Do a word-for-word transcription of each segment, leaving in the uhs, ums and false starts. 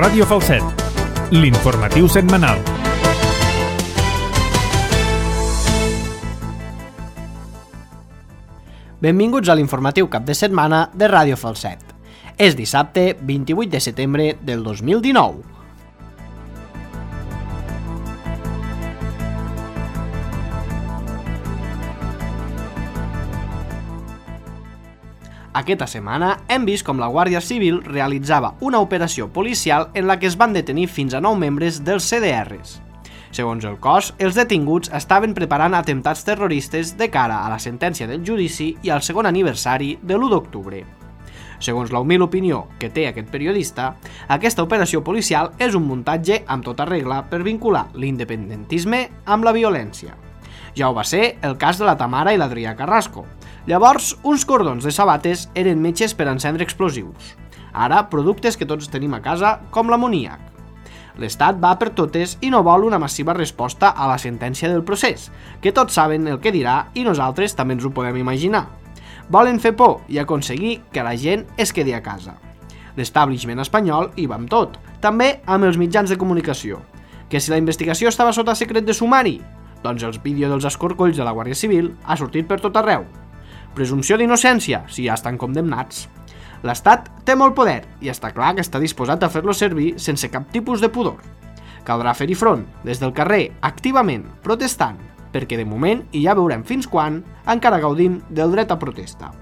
Ràdio Falset, l'informatiu setmanal. Benvinguts a l'informatiu cap de setmana de Ràdio Falset. És dissabte vint-i-vuit de setembre del dos mil dinou. Aquesta setmana hem vist com la Guàrdia Civil realitzava una operació policial en la que es van detenir fins a nou membres dels C D Rs. Segons el cos, els detinguts estaven preparant atemptats terroristes de cara a la sentència del judici i al segon aniversari de l'u d'octubre. Segons la humil opinió que té aquest periodista, aquesta operació policial és un muntatge amb tota regla per vincular l'independentisme amb la violència. Ja ho va ser el cas de la Tamara i l'Adrià Carrasco. Llavors, uns cordons de sabates eren metges per encendre explosius. Ara, productes que tots tenim a casa, com l'amoníac. L'Estat va per totes i no vol una massiva resposta a la sentència del procés, que tots saben el que dirà i nosaltres també ens ho podem imaginar. Volen fer por i aconseguir que la gent es quedi a casa. L'establishment espanyol hi va amb tot, també amb els mitjans de comunicació. Que si la investigació estava sota secret de sumari? Doncs els vídeos dels escorcolls de la Guàrdia Civil ha sortit per tot arreu. Presumpció d'innocència, si ja estan condemnats. L'Estat té molt poder i està clar que està disposat a fer-lo servir sense cap tipus de pudor. Caldrà fer-hi front, des del carrer, activament, protestant, perquè de moment, i ja veurem fins quan, encara gaudim del dret a protesta.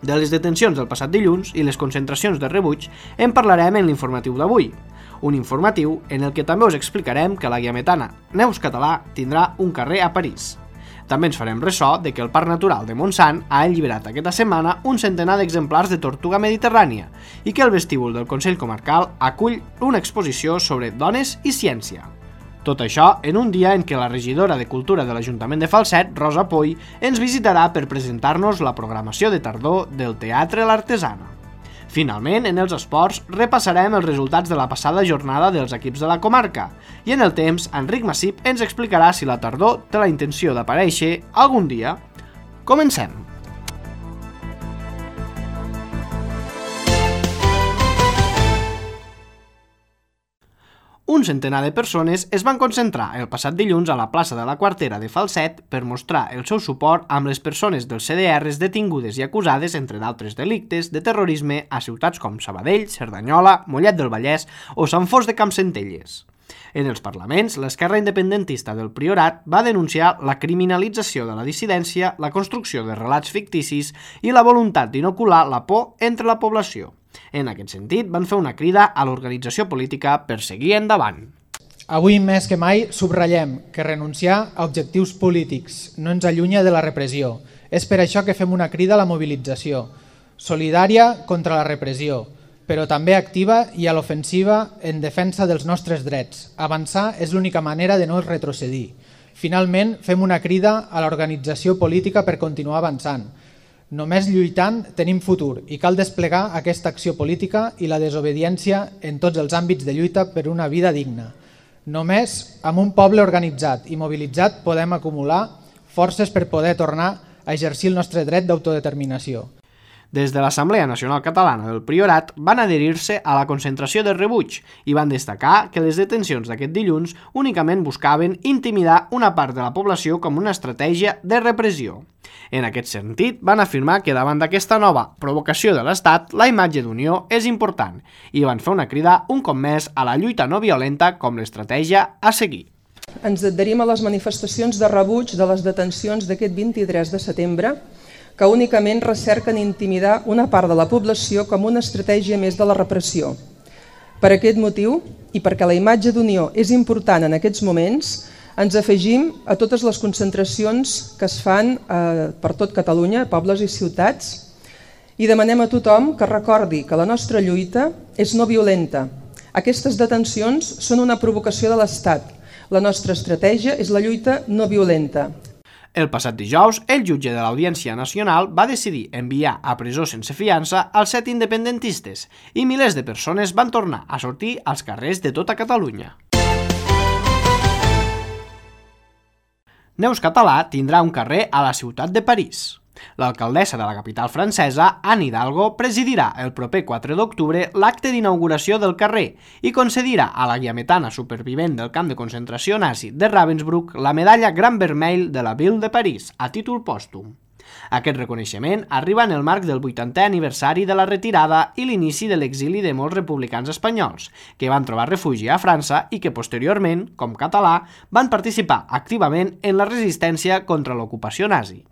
De les detencions del passat dilluns i les concentracions de rebuig en parlarem en l'informatiu d'avui. Un informatiu en el que també us explicarem que la guiametana Neus Català tindrà un carrer a París. També ens farem ressò de que el Parc Natural de Montsant ha alliberat aquesta setmana un centenar d'exemplars de tortuga mediterrània i que el vestíbul del Consell Comarcal acull una exposició sobre dones i ciència. Tot això en un dia en què la regidora de Cultura de l'Ajuntament de Falset, Rosa Poy, ens visitarà per presentar-nos la programació de tardor del Teatre l'Artesana. Finalment, en els esports, repassarem els resultats de la passada jornada dels equips de la comarca i en el temps, Enric Massip ens explicarà si la tardor té la intenció d'aparèixer algun dia. Comencem! Un centenar de persones es van concentrar el passat dilluns a la plaça de la Quartera de Falset per mostrar el seu suport amb les persones dels C D Rs detingudes i acusades, entre d'altres delictes, de terrorisme a ciutats com Sabadell, Cerdanyola, Mollet del Vallès o Sant Fost de Campsentelles. En els parlaments, l'esquerra independentista del Priorat va denunciar la criminalització de la dissidència, la construcció de relats ficticis i la voluntat d'inocular la por entre la població. En aquest sentit, van fer una crida a l'organització política per seguir endavant. Avui més que mai subratllem que renunciar a objectius polítics no ens allunya de la repressió. És per això que fem una crida a la mobilització, solidària contra la repressió, però també activa i a l'ofensiva en defensa dels nostres drets. Avançar és l'única manera de no retrocedir. Finalment, fem una crida a l'organització política per continuar avançant. Només lluitant tenim futur i cal desplegar aquesta acció política i la desobediència en tots els àmbits de lluita per una vida digna. Només amb un poble organitzat i mobilitzat podem acumular forces per poder tornar a exercir el nostre dret d'autodeterminació. Des de l'Assemblea Nacional Catalana del Priorat van adherir-se a la concentració de rebuig i van destacar que les detencions d'aquest dilluns únicament buscaven intimidar una part de la població com una estratègia de repressió. En aquest sentit, van afirmar que davant d'aquesta nova provocació de l'Estat, la imatge d'unió és important i van fer una crida un cop més a la lluita no violenta com l'estratègia a seguir. Ens adherim a les manifestacions de rebuig de les detencions d'aquest vint-i-tres de setembre que únicament recerquen intimidar una part de la població com una estratègia més de la repressió. Per aquest motiu, i perquè la imatge d'unió és important en aquests moments, ens afegim a totes les concentracions que es fan eh, per tot Catalunya, pobles i ciutats, i demanem a tothom que recordi que la nostra lluita és no violenta. Aquestes detencions són una provocació de l'Estat. La nostra estratègia és la lluita no violenta. El passat dijous, el jutge de l'Audiència Nacional va decidir enviar a presó sense fiança als set independentistes i milers de persones van tornar a sortir als carrers de tota Catalunya. Neus Català tindrà un carrer a la ciutat de París. L'alcaldessa de la capital francesa, Anne Hidalgo, presidirà el proper quatre d'octubre l'acte d'inauguració del carrer i concedirà a la guiametana supervivent del camp de concentració nazi de Ravensbrück la medalla Gran Vermell de la Ville de París, a títol pòstum. Aquest reconeixement arriba en el marc del vuitantè aniversari de la retirada i l'inici de l'exili de molts republicans espanyols, que van trobar refugi a França i que posteriorment, com Català, van participar activament en la resistència contra l'ocupació nazi.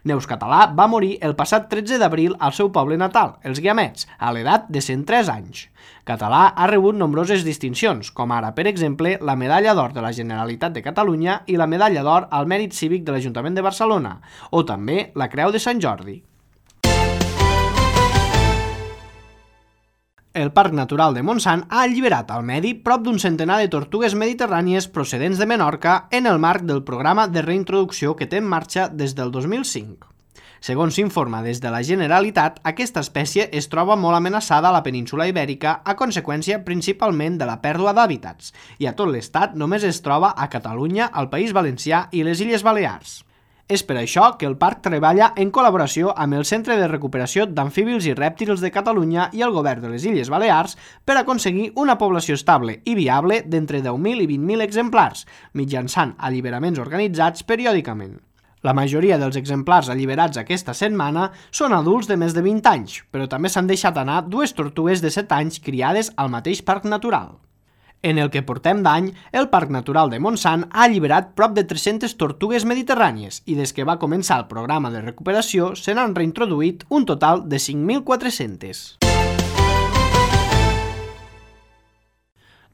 Neus Català va morir el passat tretze d'abril al seu poble natal, els Guiamets, a l'edat de cent tres anys. Català ha rebut nombroses distincions, com ara, per exemple, la Medalla d'Or de la Generalitat de Catalunya i la Medalla d'Or al Mèrit Cívic de l'Ajuntament de Barcelona, o també la Creu de Sant Jordi. El Parc Natural de Montsant ha alliberat al medi prop d'un centenar de tortugues mediterrànies procedents de Menorca en el marc del programa de reintroducció que té en marxa des del dos mil cinc. Segons s'informa des de la Generalitat, aquesta espècie es troba molt amenaçada a la península Ibèrica a conseqüència principalment de la pèrdua d'hàbitats, i a tot l'estat només es troba a Catalunya, al País Valencià i les Illes Balears. És per això que el parc treballa en col·laboració amb el Centre de Recuperació d'Amfíbils i Rèptils de Catalunya i el Govern de les Illes Balears per aconseguir una població estable i viable d'entre deu mil i vint mil exemplars, mitjançant alliberaments organitzats periòdicament. La majoria dels exemplars alliberats aquesta setmana són adults de més de vint anys, però també s'han deixat anar dues tortugues de set anys criades al mateix parc natural. En el que portem d'any, el Parc Natural de Montsant ha alliberat prop de tres-centes tortugues mediterrànies i des que va començar el programa de recuperació se n'han reintroduït un total de cinc mil quatre-centes.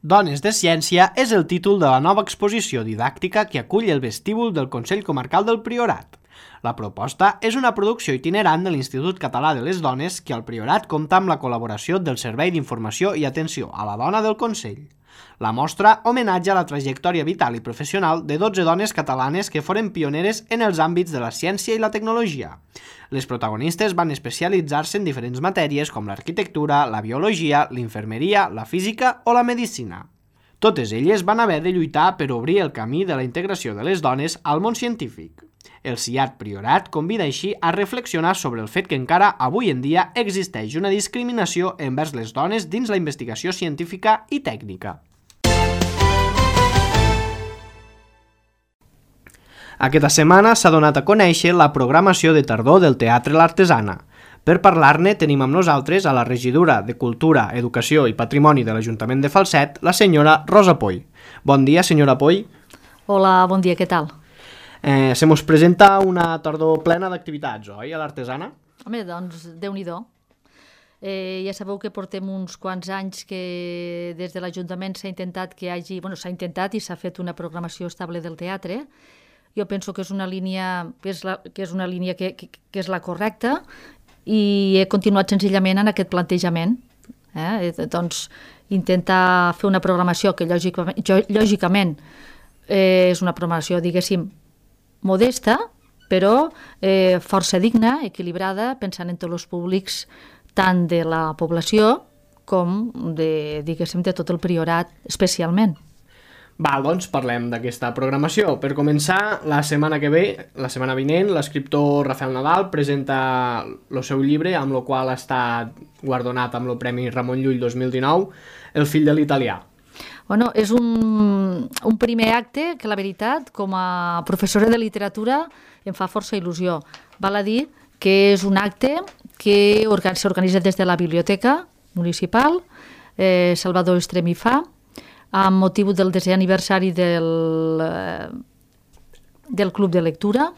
Dones de Ciència és el títol de la nova exposició didàctica que acull el vestíbul del Consell Comarcal del Priorat. La proposta és una producció itinerant de l'Institut Català de les Dones que al Priorat compta amb la col·laboració del Servei d'Informació i Atenció a la Dona del Consell. La mostra homenatja la trajectòria vital i professional de dotze dones catalanes que foren pioneres en els àmbits de la ciència i la tecnologia. Les protagonistes van especialitzar-se en diferents matèries com l'arquitectura, la biologia, l'infermeria, la física o la medicina. Totes elles van haver de lluitar per obrir el camí de la integració de les dones al món científic. El C I A T Priorat convida així a reflexionar sobre el fet que encara avui en dia existeix una discriminació envers les dones dins la investigació científica i tècnica. Aquesta setmana s'ha donat a conèixer la programació de tardor del Teatre L'Artesana. Per parlar-ne tenim amb nosaltres a la regidora de Cultura, Educació i Patrimoni de l'Ajuntament de Falset, la senyora Rosa Poy. Bon dia, senyora Poy. Hola, bon dia, què tal? Eh, se mos presenta una tardor plena d'activitats, oi, a l'Artesana? Home, doncs, Déu-n'hi-do. Eh, ja sabeu que portem uns quants anys que des de l'Ajuntament s'ha intentat que hi hagi... Bueno, s'ha intentat i s'ha fet una programació estable del teatre. Jo penso que és una línia que és, la, que és una línia que, que, que és la correcta i he continuat senzillament en aquest plantejament. Eh? Doncs intentar fer una programació que lògicament, lògicament eh, és una programació, diguéssim, modesta, però eh, força digna, equilibrada, pensant en tots els públics, tant de la població com de, diguéssim, de tot el Priorat, especialment. Val, doncs parlem d'aquesta programació. Per començar, la setmana que ve, la setmana vinent, l'escriptor Rafael Nadal presenta el seu llibre, amb el qual ha estat guardonat amb el Premi Ramon Llull dos mil dinou, El fill de l'italià. Bueno, és un, un primer acte que, la veritat, com a professora de literatura, em fa força il·lusió. Val a dir que és un acte que s'organitza des de la Biblioteca Municipal, eh, Salvador Estremí fa, amb motiu del desè aniversari del, del Club de Lectura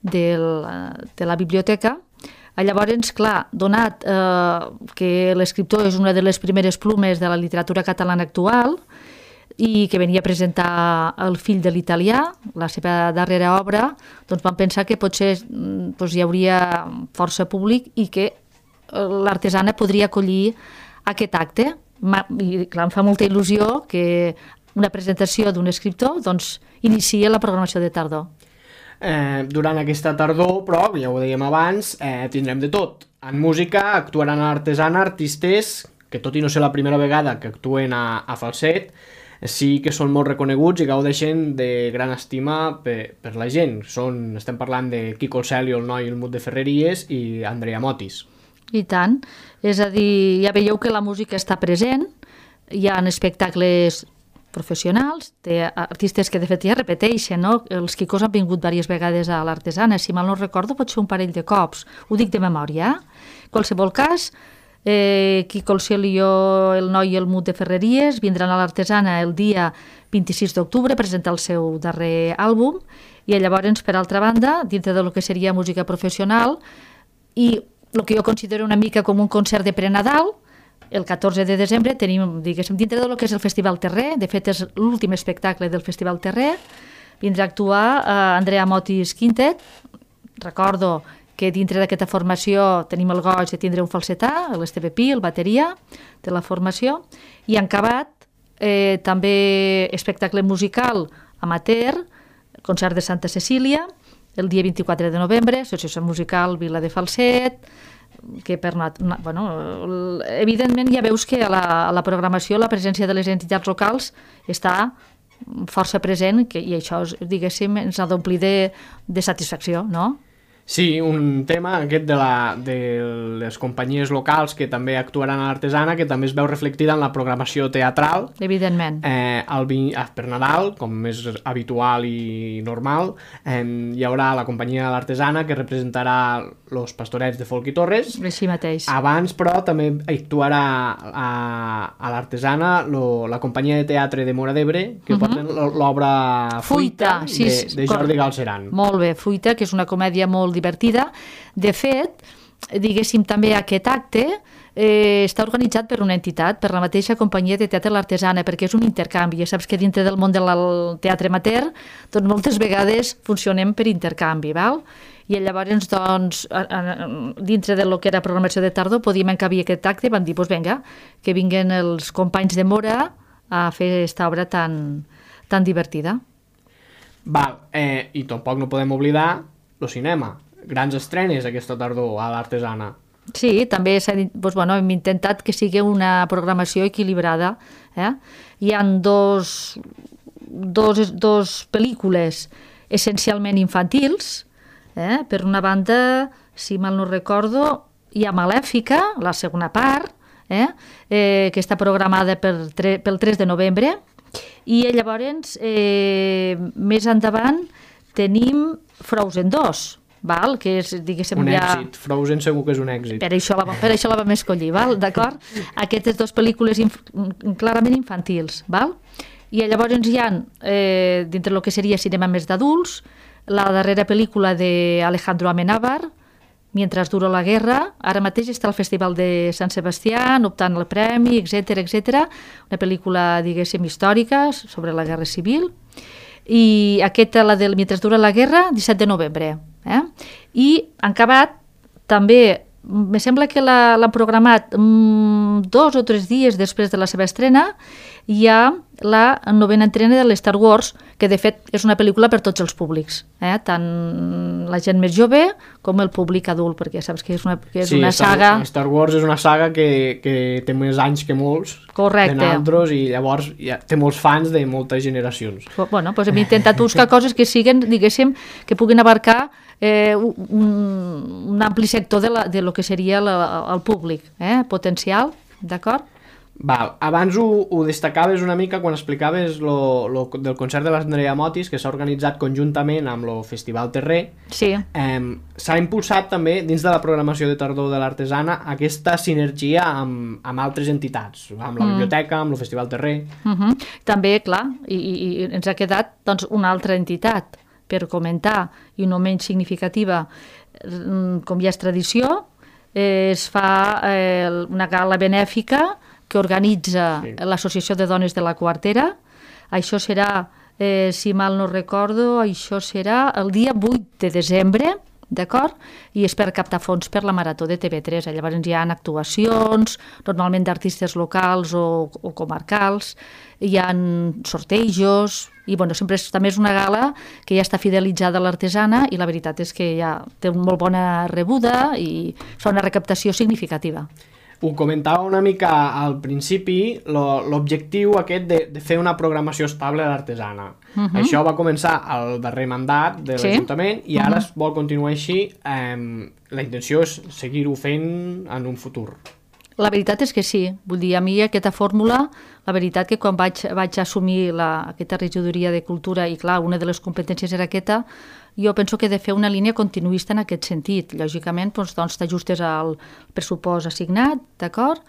del, de la biblioteca. Llavors, clar, donat eh, que l'escriptor és una de les primeres plumes de la literatura catalana actual i que venia a presentar El fill de l'italià, la seva darrera obra, doncs vam pensar que potser doncs, hi hauria força públic i que l'Artesana podria acollir aquest acte. I clar, em fa molta il·lusió que una presentació d'un escriptor doncs, inicia la programació de tardor. Eh, durant aquesta tardor, però, ja ho dèiem abans, eh, tindrem de tot. En música actuaran a l'Artesana artistes que, tot i no ser la primera vegada que actuen a, a Falset, sí que són molt reconeguts i gaudeixen de gran estima per, per la gent. Són, estem parlant de Quico el Celio, el noi, el Mut de Ferreries i Andrea Motis. I tant. És a dir, ja veieu que la música està present, hi ha espectacles professionals, té artistes que de fet ja repeteixen, no? Els Quicos han vingut diverses vegades a l'Artesana, si mal no recordo pot ser un parell de cops, ho dic de memòria. En qualsevol cas, eh, Quico el Celio, el noi i el Mut de Ferreries vindran a l'Artesana el dia vint-i-sis d'octubre a presentar el seu darrer àlbum, i llavors, per altra banda, dintre del que seria música professional, i el que jo considero una mica com un concert de pre-Nadal, el catorze de desembre tenim, diguéssim, dintre del que és el Festival Terrer, de fet és l'últim espectacle del Festival Terrer, vindrà a actuar eh, Andrea Motis Quintet. Recordo que dintre d'aquesta formació tenim el goig de tindre un falsetà, l'Esteve Pi, el bateria de la formació, i en acabat eh, també espectacle musical amateur, concert de Santa Cecília, el dia vint-i-quatre de novembre, associació musical Vila de Falset, que per bueno, evidentment ja veus que a la, a la programació la presència de les entitats locals està força present, que, i això, diguéssim, ens ha d'omplir de, de satisfacció, no? Sí, un tema aquest de, la, de les companyies locals que també actuaran a l'Artesana, que també es veu reflectida en la programació teatral. Evidentment. Eh, el, per Nadal, com és habitual i normal, eh, hi haurà la companyia de l'Artesana que representarà Los Pastorets de Folk i Torres. Així mateix. Abans, però, també actuarà a, a l'Artesana lo, la companyia de teatre de Móra d'Ebre, que uh-huh. porten l'obra Fuita, Fuita sí, de, de Jordi Galceran. Molt bé, Fuita, que és una comèdia molt divertida. De fet, diguéssim, també aquest acte eh, està organitzat per una entitat, per la mateixa companyia de teatre l'Artesana, perquè és un intercanvi. Ja saps que dintre del món del teatre amateur, doncs moltes vegades funcionem per intercanvi, val? I llavors, doncs, dintre del que era programació de tardor, podíem encabir aquest acte i vam dir, doncs vinga, que vinguen els companys de Móra a fer aquesta obra tan, tan divertida. Val, eh, i tampoc no podem oblidar el cinema. Grans estrenes aquesta tardor a l'Artesana. Sí, també dit, doncs, bueno, hem intentat que sigui una programació equilibrada. Eh? Hi ha dos, dos, dos pel·lícules essencialment infantils. Eh? Per una banda, si mal no recordo, hi ha Malèfica, la segona part, eh? Eh, que està programada per tre- pel tres de novembre, i llavors, eh, més endavant, tenim Frozen dos, val? Que és, diguéssim, un ja... èxit, Frozen segur que és un èxit. Per això la, per això la vam escollir, val? D'acord? Aquestes dues pel·lícules inf clarament infantils, val? I llavors hi ha, eh, dintre del que seria cinema més d'adults, la darrera pel·lícula d'Alejandro Amenábar, Mientras dura la guerra, ara mateix està al Festival de Sant Sebastià, optant el premi, etcètera, etcètera. Una pel·lícula, diguéssim, històrica sobre la Guerra Civil. I aquesta, la del Mientras dura la guerra, disset de novembre. Eh? I han acabat també, me sembla que l'han programat mm, dos o tres dies després de la seva estrena, hi ha la novena entrena de l'Star Wars, que de fet és una pel·lícula per tots els públics, eh? Tant la gent més jove com el públic adult, perquè saps que és una, que és sí, una Star, saga... Star Wars és una saga que, que té més anys que molts. Correcte. De naltros, i llavors ja té molts fans de moltes generacions. Bueno, doncs hem intentat buscar coses que siguen, diguéssim, que puguin abarcar eh, un, un ampli sector de, la, de lo que seria la, el públic, eh, potencial, d'acord? Val. Abans ho, ho destacaves una mica quan explicaves lo, lo del concert de l'Andrea Motis, que s'ha organitzat conjuntament amb el Festival Terrer. Sí. Eh, s'ha impulsat també dins de la programació de tardor de l'Artesana aquesta sinergia amb, amb altres entitats, amb la mm. biblioteca, amb el Festival Terrer. Uh -huh. També, clar, i, i ens ha quedat doncs, una altra entitat per comentar, i no menys significativa, com ja és tradició, eh, es fa eh, una gala benèfica que organitza sí. l'Associació de Dones de la Quartera. Això serà, eh, si mal no recordo, això serà el dia vuit de desembre, d'acord? I és per captar fons per la Marató de T V tres. Llavors hi ha actuacions, normalment d'artistes locals o, o comarcals, hi ha sortejos, i bueno, sempre és, també és una gala que ja està fidelitzada a l'Artesana, i la veritat és que ja té una molt bona rebuda i fa una recaptació significativa. Ho comentava una mica al principi, lo, l'objectiu aquest de, de fer una programació estable a l'artesana. Uh-huh. Això va començar al darrer mandat de Sí. l'Ajuntament i ara Uh-huh. es vol continuar així. Eh, la intenció és seguir-ho fent en un futur. La veritat és que sí. Vull dir, a mi aquesta fórmula, la veritat que quan vaig, vaig assumir la, aquesta regidoria de cultura, i clar, una de les competències era aquesta, jo penso que he de fer una línia continuista en aquest sentit. Lògicament, doncs, doncs t'ajustes al pressupost assignat, d'acord?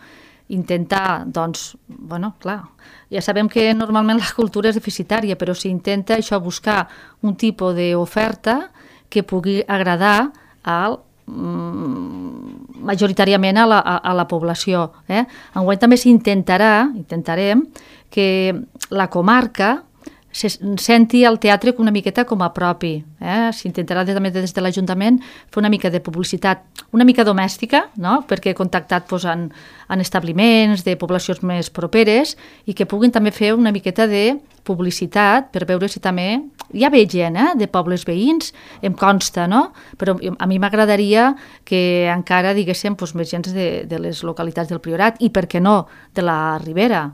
Intentar, doncs, bueno, clar, ja sabem que normalment la cultura és deficitària, però s'intenta això, buscar un tipus d'oferta que pugui agradar al majoritàriament a la, a, a la població. Eh? Enguany també s'intentarà, intentarem, que la comarca se senti el teatre una miqueta com a propi. Eh? S'intentarà també des de l'Ajuntament fer una mica de publicitat, una mica domèstica, no? Perquè he contactat doncs, en, en establiments de poblacions més properes i que puguin també fer una miqueta de publicitat per veure si també... Ja ve gent, eh? De pobles veïns, em consta, no? Però a mi m'agradaria que encara diguéssim doncs, més gent de, de les localitats del Priorat i, per què no, de la Ribera.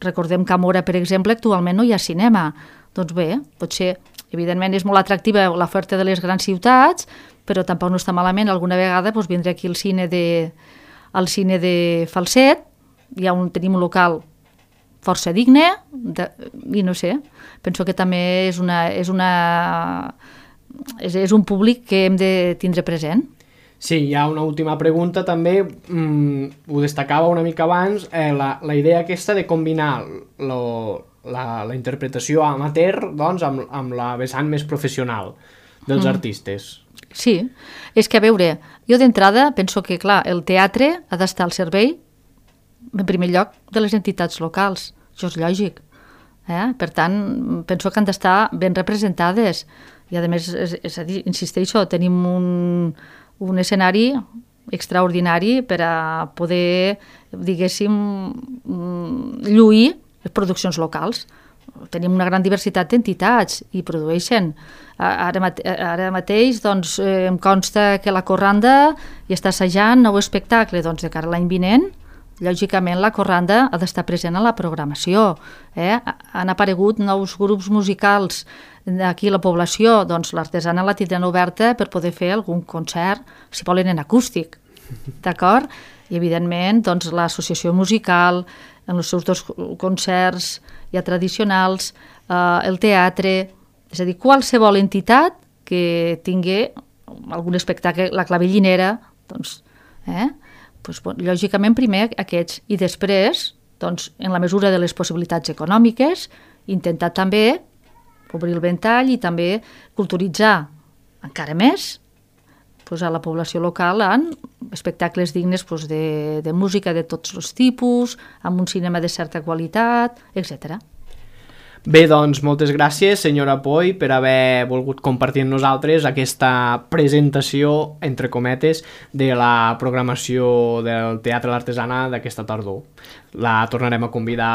Recordem que a Móra, per exemple, actualment no hi ha cinema. Doncs bé, potser, evidentment, és molt atractiva l'oferta de les grans ciutats, però tampoc no està malament alguna vegada doncs, vindre aquí al cine de, al cine de Falset, hi ha un, tenim un local força digne, de, i no sé, penso que també és, una, és, una, és, és un públic que hem de tindre present. Sí, hi ha una última pregunta també, mm, ho destacava una mica abans, eh, la, la idea aquesta de combinar lo, la, la interpretació amateur doncs, amb, amb la vessant més professional dels mm. artistes. Sí, és que a veure, jo d'entrada penso que clar, el teatre ha d'estar al servei en primer lloc de les entitats locals, això és lògic. Eh? Per tant, penso que han d'estar ben representades i a més, és, és a dir, insisteixo, tenim un, un escenari extraordinari per a poder, diguéssim, lluir les produccions locals. Tenim una gran diversitat d'entitats i produeixen. Ara, mate ara mateix doncs, eh, em consta que la Corranda hi està assajant nou espectacle doncs, de cara a l'any vinent. Lògicament la Corranda ha d'estar present a la programació. Eh? Han aparegut nous grups musicals aquí a la població, doncs l'artesana la tindran oberta per poder fer algun concert, si volen en acústic. D'acord? I evidentment doncs, l'associació musical, en els seus dos concerts ja tradicionals, eh, el teatre, és a dir, qualsevol entitat que tingui algun espectacle, la clavellinera, doncs, eh? Pues, bon, lògicament primer aquests i després, doncs, en la mesura de les possibilitats econòmiques, intentar també obrir el ventall i també culturitzar encara més pues, a la població local en espectacles dignes pues, de, de música de tots els tipus, amb un cinema de certa qualitat, etcètera. Bé, doncs, moltes gràcies, senyora Poy, per haver volgut compartir amb nosaltres aquesta presentació, entre cometes, de la programació del Teatre l'Artesana d'aquesta tardor. La tornarem a convidar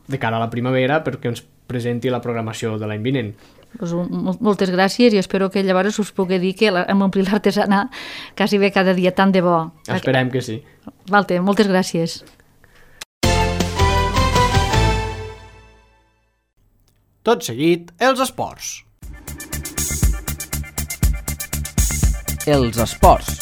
de cara a la primavera perquè ens presenti la programació de l'any vinent. Pues, moltes gràcies i espero que llavors us pugui dir que hem omplit l'Artesana quasi bé cada dia tant de bo. Esperem que sí. Valte, moltes gràcies. Tot seguit, els esports. Els esports.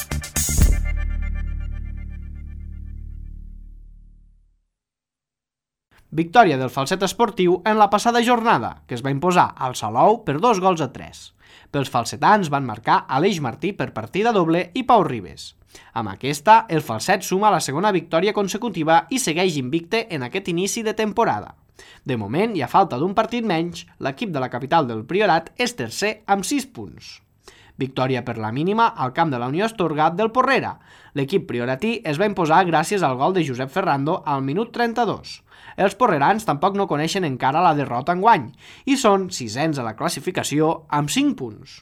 Victòria del Falset Esportiu en la passada jornada, que es va imposar al Salou per dos gols a tres. Pels falsetans van marcar Aleix Martí per partida doble i Pau Ribes. Amb aquesta, el Falset suma la segona victòria consecutiva i segueix invicte en aquest inici de temporada. De moment, i a falta d'un partit menys, l'equip de la capital del Priorat és tercer amb sis punts. Victòria per la mínima al camp de la Unió Astorga del Porrera. L'equip prioratí es va imposar gràcies al gol de Josep Ferrando al minut trenta-dos. Els porrerans tampoc no coneixen encara la derrota enguany i són sisens a la classificació amb cinc punts.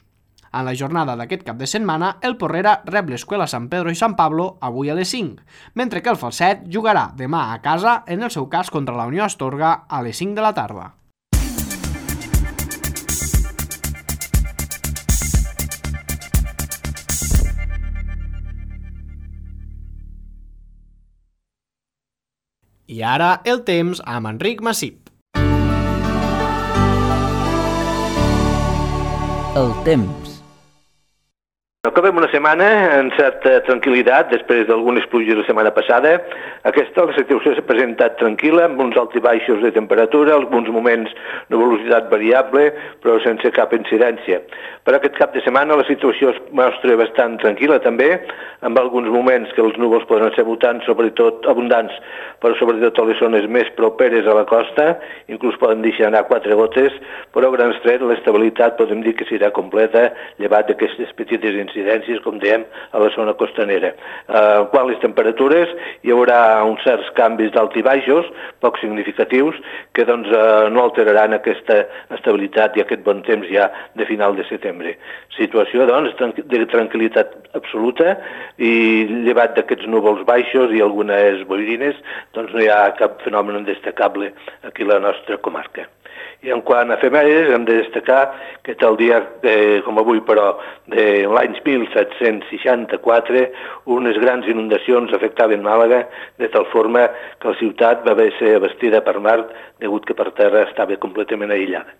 En la jornada d'aquest cap de setmana, el Porrera rep l'Escuela San Pedro i San Pablo avui a les cinc, mentre que el Falset jugarà demà a casa, en el seu cas contra la Unió Astorga, a les cinc de la tarda. I ara el temps amb Enric Massip. El temps. Acabem una setmana en certa tranquil·litat després d'algunes pluges la setmana passada. Aquesta la situació s'ha presentat tranquil·la, amb uns alts i baixos de temperatura, alguns moments de velocitat variable, però sense cap incidència. Per aquest cap de setmana la situació es mostra bastant tranquil·la també, amb alguns moments que els núvols poden ser abundants, sobretot abundants, però sobretot a les zones més properes a la costa, inclús poden deixar anar quatre gotes, però a grans trets l'estabilitat podem dir que serà completa, llevat d'aquestes petites incidències, com dèiem, a la zona costanera. Eh, quan les temperatures hi haurà uns certs canvis d'alt i baixos, poc significatius, que doncs eh, no alteraran aquesta estabilitat i aquest bon temps ja de final de setembre. Situació, doncs, de tranquil·litat absoluta i llevat d'aquests núvols baixos i algunes boirines, doncs no hi ha cap fenomen destacable aquí a la nostra comarca. I en quant a efemèrides, hem de destacar que tal dia, eh, com avui però, de l'any mil set-cents seixanta-quatre, unes grans inundacions afectaven Màlaga, de tal forma que la ciutat va haver de ser abastida per mar, degut que per terra estava completament aïllada.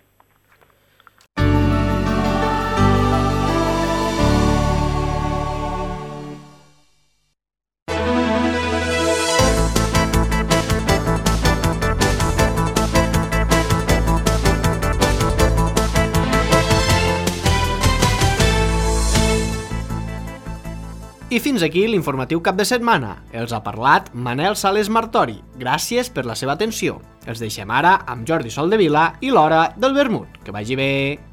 I fins aquí l'informatiu cap de setmana. Els ha parlat Manel Sales Martori. Gràcies per la seva atenció. Els deixem ara amb Jordi Soldevila i l'Hora del Vermut. Que vagi bé!